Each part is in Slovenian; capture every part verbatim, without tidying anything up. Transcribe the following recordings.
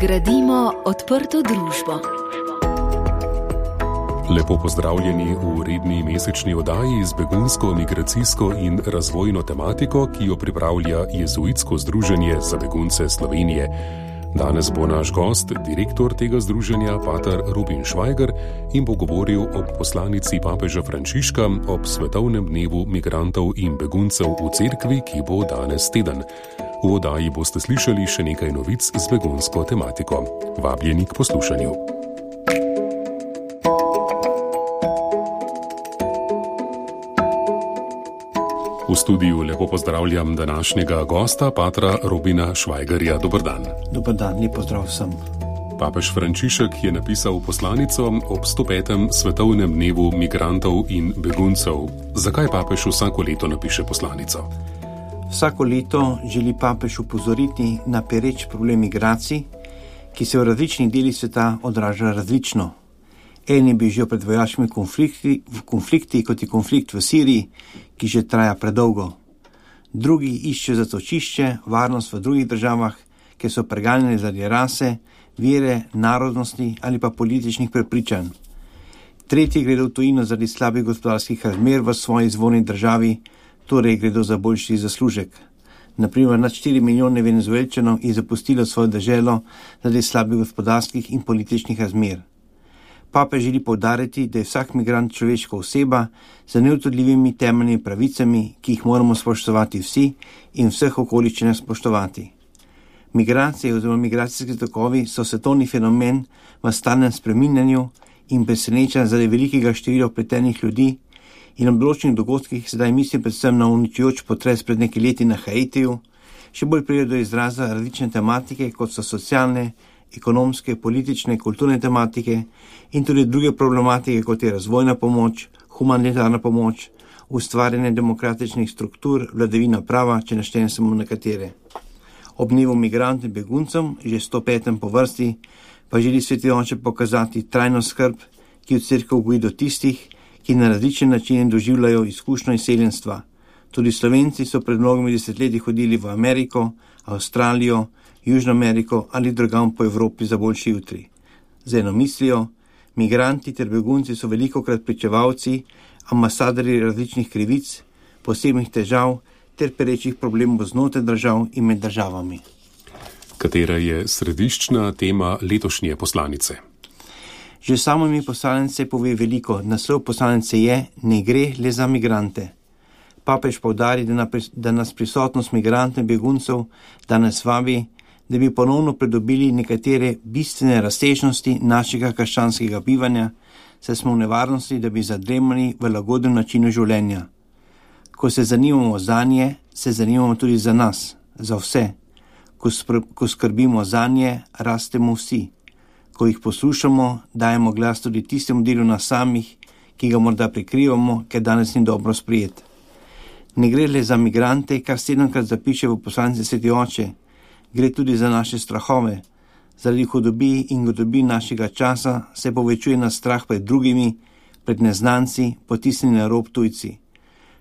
Gradimo odprto družbo. Lepo pozdravljeni v redni mesečni oddaji z begunsko, migracijsko in razvojno tematiko, ki jo pripravlja Jezuitsko združenje za begunce Slovenije. Danes bo naš gost, direktor tega združenja, pater Robin Švajger, in bo govoril o poslanici papeža Frančiška ob svetovnem dnevu migrantov in beguncev v cerkvi, ki bo danes teden. V oddaji boste slišali še nekaj novic z begunsko tematiko. Vabljeni k poslušanju. V studiu lepo pozdravljam današnjega gosta, patra Robina Švajgerja. Dober dan. Dober dan, lep pozdrav vsem. Papež Frančišek je napisal poslanico ob sto petem svetovnem dnevu migrantov in beguncev. Zakaj papež vsako leto napiše poslanico? Vsako leto želi papež upozoriti na pereč problem migracij, ki se v različnih delih sveta odraža različno. Eni bežijo pred vojaškimi konflikti, konflikti, kot je konflikt v Siriji, ki že traja predolgo. Drugi iščejo zatočišče, varnost v drugih državah, ki so preganjeni zaradi rase, vere, narodnosti ali pa političnih prepričanj. Tretji gredo v tujino zaradi slabih gospodarskih razmer v svoji izvorni državi, torej gredo za boljši zaslužek. Naprimer, nad štiri milijone Venezuelčanov je zapustilo svojo deželo zaradi slabih gospodarskih in političnih razmer. Papež želi poudariti, da je vsak migrant človeška oseba z neodtujljivimi temeljnimi pravicami, ki jih moramo spoštovati vsi in vseh okoliščinah spoštovati. Migracije oziroma migracijski tokovi so svetovni fenomen v stalnem spreminjanju in preseneča zaradi velikega števila vpletenih ljudi in ob določenih dogodkih, sedaj mislim predvsem na uničujoč potres pred nekaj leti na Haitiju, še bolj pridejo do izraza različne tematike, kot so socialne, ekonomske, politične, kulturne tematike in tudi druge problematike, kot je razvojna pomoč, humanitarna pomoč, ustvarjanje demokratičnih struktur, vladavina prava, če naštejem samo nekatere. Ob dnevu migrantov in beguncem, že sto petem po vrsti, pa želi Sveti oče pokazati trajno skrb, ki v cerkev goji do tistih, ki na različne načine doživljajo izkušnjo izseljenstva. Tudi Slovenci so pred mnogimi desetletji hodili v Ameriko, Avstralijo, Južno Ameriko ali drugam po Evropi za boljši jutri. Z eno mislijo, migranti ter begunci so velikokrat pričevalci, ambasadorji različnih krivic, posebnih težav ter perečih problemov znotraj držav in med državami. Katera je središčna tema letošnje poslanice? Že samo ime poslanice pove veliko. Naslov poslanice je: ne gre le za migrante. Papež poudari, da nas prisotnost migrantov in beguncev danes vabi, da bi ponovno pridobili nekatere bistvene razsežnosti našega krščanskega bivanja, saj smo v nevarnosti, da bi zadremali v lagodnem načinu življenja. Ko se zanimamo zanje, se zanimamo tudi za nas, za vse. Ko, spr- ko skrbimo zanje, rastemo vsi. Ko jih poslušamo, dajemo glas tudi tistemu delu nas samih, ki ga morda prikrivamo, ker danes ni dobro sprijet. Ne gre le za migrante, kar sedemkrat zapiše v poslanici Sveti oče, gre tudi za naše strahove. Zaradi hudobi in godobi našega časa se povečuje nas strah pred drugimi, pred neznanci, potisnjeni na rob tujci.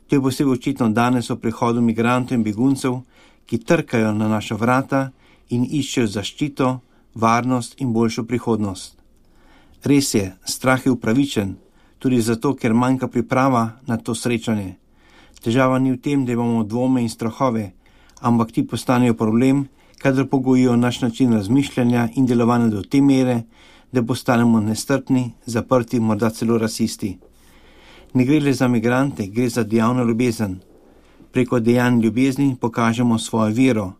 To je posebej očitno danes o prihodu migrantov in beguncev, ki trkajo na naša vrata in iščejo zaščito, varnost in boljšo prihodnost. Res je, strah je upravičen, tudi zato, ker manjka priprava na to srečanje. Težava ni v tem, da imamo dvome in strahove, ampak ti postanejo problem, kadar pogojijo naš način razmišljanja in delovanja do te mere, da postanemo nestrpni, zaprti, morda celo rasisti. Ne gre le za migrante, gre za dejavno ljubezen. Preko dejanj ljubezni pokažemo svojo vero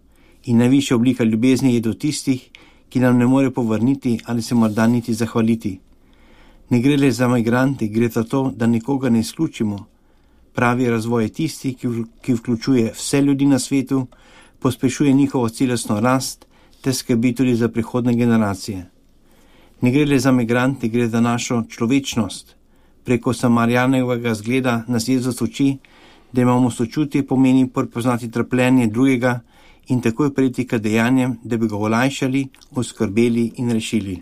in najvišja oblika ljubezni je do tistih, ki nam ne more povrniti ali se morda niti zahvaliti. Ne gre le za migrante, gre za to, da nikoga ne izključimo. Pravi razvoj je tisti, ki vključuje vse ljudi na svetu, pospešuje njihovo celostno rast ter skrbi tudi za prihodne generacije. Ne gre le za migrante, gre za našo človečnost. Preko Samarijanovega zgleda nas Jezus uči, da imamo sočutje, pomeni prepoznati trpljenje drugega in takoj prejti k dejanjem, da bi ga olajšali, oskrbeli in rešili.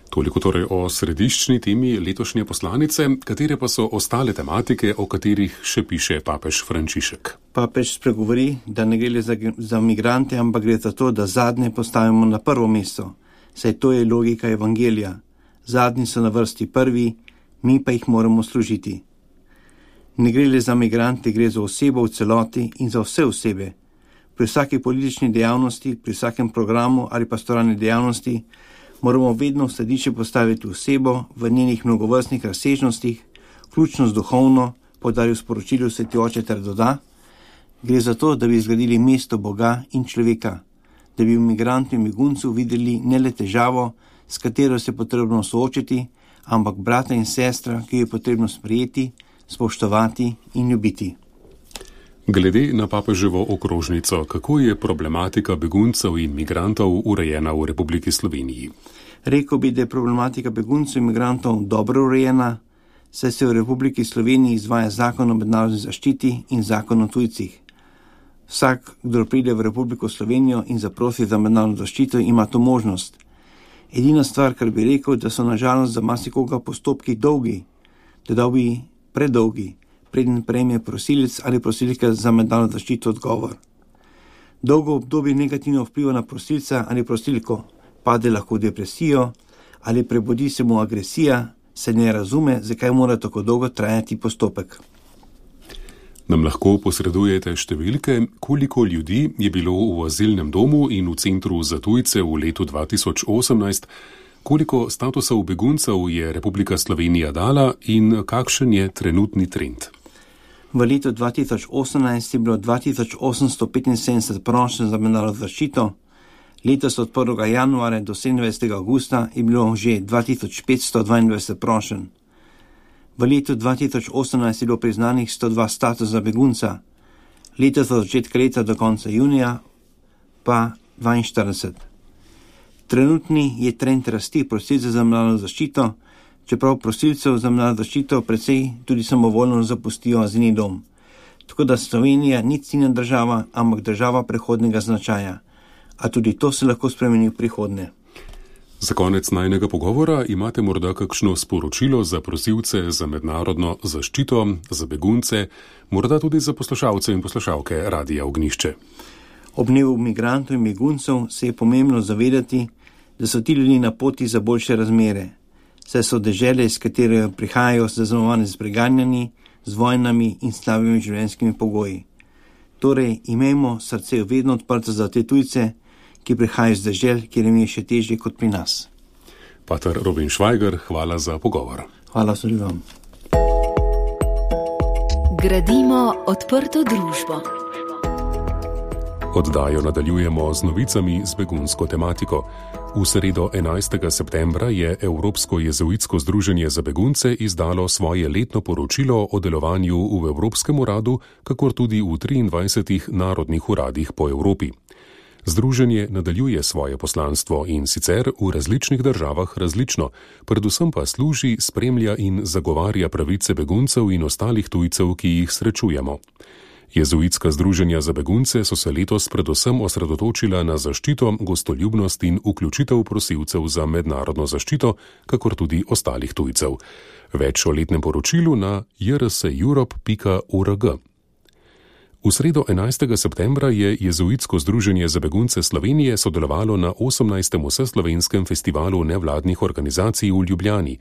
Toliko torej o središčni temi letošnje poslanice, katere pa so ostale tematike, o katerih še piše papež Frančišek. Papež spregovori, da ne gre le za, za migrante, ampak gre za to, da zadnje postavimo na prvo mesto, saj to je logika evangelija. Zadnji so na vrsti prvi, mi pa jih moramo služiti. Ne gre le za migrante, gre za osebo v celoti in za vse osebe. Pri vsaki politični dejavnosti, pri vsakem programu ali pastoralni dejavnosti moramo vedno v središče postaviti osebo v njenih mnogovrstnih razsežnostih, vključno z duhovno, poudaril sporočilo Sveti Oče ter doda, gre za to, da bi zgradili mesto Boga in človeka, da bi v migrantu in beguncu videli ne le težavo, s katero se je potrebno soočiti, ampak brata in sestra, ki jo je potrebno sprejeti, spoštovati in ljubiti. Glede na papeževo okrožnico, kako je problematika beguncev in migrantov urejena v Republiki Sloveniji? Rekel bi, da je problematika beguncev in migrantov dobro urejena, saj se v Republiki Sloveniji izvaja zakon o mednarodni zaščiti in zakon o tujcih. Vsak, kdo pride v Republiko Slovenijo in zaprosi za mednarodno zaščito, ima to možnost. Edina stvar, kar bi rekel, da so nažalost za marsikoga postopki dolgi, da bi predolgi, preden prejme prosilec ali prosilka za mednarodno zaščito odgovor. Dolgo obdobje negativno vpliva na prosilca ali prosilko, pade lahko v depresijo ali prebudi se mu agresija, se ne razume, zakaj mora tako dolgo trajati postopek. Nam lahko posredujete številke, koliko ljudi je bilo v azilnem domu in v centru za tujce v letu dva tisoč osemnajst, koliko statusov beguncev je Republika Slovenija dala in kakšen je trenutni trend? V letu dva tisoč osemnajst je bilo dva tisoč osemsto petinsedemdeset prošenj za mednarodno zaščito, letos od prvega januarja do sedemindvajsetega avgusta je bilo že dva tisoč petsto dvaindvajset prošenj. V letu dva tisoč osemnajst je bilo priznanih sto dva statusa begunca, letos od začetka leta do konca junija pa dvainštirideset. Trenutni je trend rasti prosilcev za mednarodno zaščito, čeprav prosilcev za mednarodno zaščito precej tudi samovoljno zapustijo azilni dom. Tako da Slovenija ni ciljna država, ampak država prehodnega značaja. A tudi to se lahko spremeni v prihodnje. Za konec najnega pogovora imate morda kakšno sporočilo za prosilce za mednarodno zaščito, za begunce, morda tudi za poslušalce in poslušalke Radia Ognjišče. Ob dnevu migrantov in beguncev se je pomembno zavedati, da so ti ljudje na poti za boljše razmere, saj so dežele, iz katere prihajajo, zaznamovane z preganjanji, z vojnami in slabimi življenjskimi pogoji. Torej, imejmo srce vedno odprto za te tujce, ki prihajajo z dežel, kjer jim je še težje kot pri nas. Pater Robin Švajger, hvala za pogovor. Hvala tudi vam. Gradimo odprto družbo. Oddajo nadaljujemo z novicami z begunsko tematiko. V sredo enajstega septembra je Evropsko jezuitsko združenje za begunce izdalo svoje letno poročilo o delovanju v Evropskem uradu, kakor tudi v triindvajsetih narodnih uradih po Evropi. Združenje nadaljuje svoje poslanstvo in sicer v različnih državah različno, predvsem pa služi, spremlja in zagovarja pravice beguncev in ostalih tujcev, ki jih srečujemo. Jezuitska združenja za begunce so se letos predvsem osredotočila na zaščito, gostoljubnost in vključitev prosilcev za mednarodno zaščito, kakor tudi ostalih tujcev. Več o letnem poročilu na j r s europe pika org. V sredo enajstega septembra je Jezuitsko združenje za begunce Slovenije sodelovalo na osemnajstem vseslovenskem festivalu nevladnih organizacij v Ljubljani.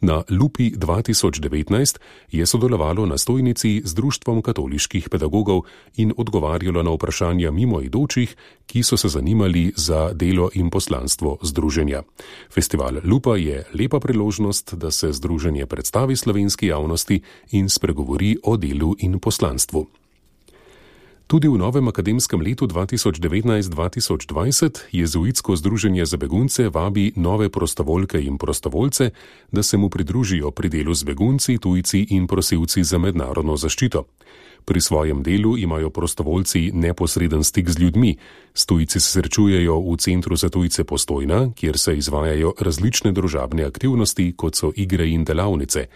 Na Lupi dva tisoč devetnajst je sodelovalo na stojnici z Društvom katoliških pedagogov in odgovarjalo na vprašanja mimoidočih, ki so se zanimali za delo in poslanstvo združenja. Festival Lupa je lepa priložnost, da se združenje predstavi slovenski javnosti in spregovori o delu in poslanstvu. Tudi v novem akademskem letu dva tisoč devetnajst dva tisoč dvajset Jezuitsko združenje za begunce vabi nove prostovoljke in prostovoljce, da se mu pridružijo pri delu z begunci, tujci in prosilci za mednarodno zaščito. Pri svojem delu imajo prostovoljci neposreden stik z ljudmi. S tujci se srečujejo v Centru za tujce Postojna, kjer se izvajajo različne družabne aktivnosti, kot so igre in delavnice.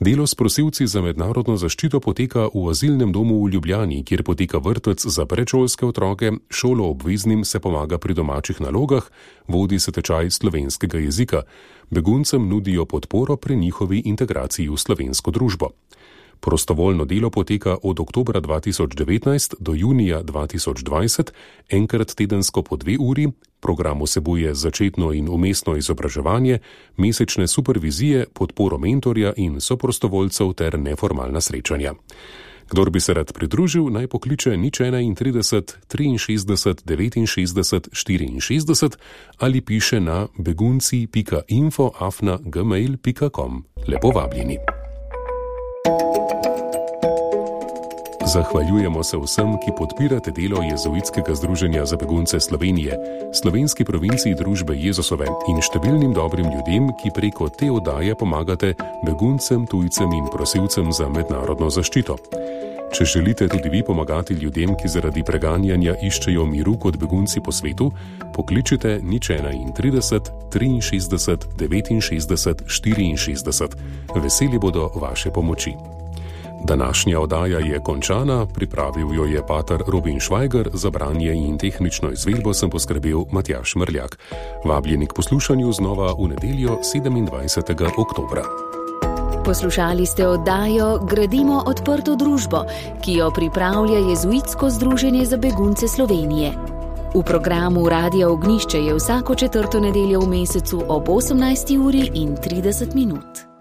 Delo s prosilci za mednarodno zaščito poteka v azilnem domu v Ljubljani, kjer poteka vrtec za predšolske otroke, šolo obveznim se pomaga pri domačih nalogah, vodi se tečaj slovenskega jezika. Beguncem nudijo podporo pri njihovi integraciji v slovensko družbo. Prostovoljno delo poteka od oktobra dva tisoč devetnajst do junija dva tisoč dvajset, enkrat tedensko po dve uri. Program vsebuje začetno in umestno izobraževanje, mesečne supervizije, podporo mentorja in soprostovoljcev ter neformalna srečanja. Kdor bi se rad pridružil, naj pokliče nič enaintrideset, triinšestdeset, devetinšestdeset, štiriinšestdeset ali piše na begunci pika info afna gmail pika com. Lepo vabljeni. Zahvaljujemo se vsem, ki podpirate delo Jezuitskega združenja za begunce Slovenije, slovenski provinciji družbe Jezusove in številnim dobrim ljudem, ki preko te oddaje pomagate beguncem, tujcem in prosilcem za mednarodno zaščito. Če želite tudi vi pomagati ljudem, ki zaradi preganjanja iščejo miru kot begunci po svetu, pokličite nič enaintrideset, triinšestdeset, devetinšestdeset, štiriinšestdeset. Veseli bodo vaše pomoči. Današnja oddaja je končana, pripravil jo je pater Robin Švajger, za branje in tehnično izvedbo sem poskrbel Matjaž Mrljak. Vabljeni k poslušanju znova v nedeljo sedemindvajsetega oktobra. Poslušali ste oddajo Gradimo odprto družbo, ki jo pripravlja Jezuitsko združenje za begunce Slovenije. V programu Radia Ognjišče je vsako četrto nedeljo v mesecu ob osemnajsti uri in trideset minut.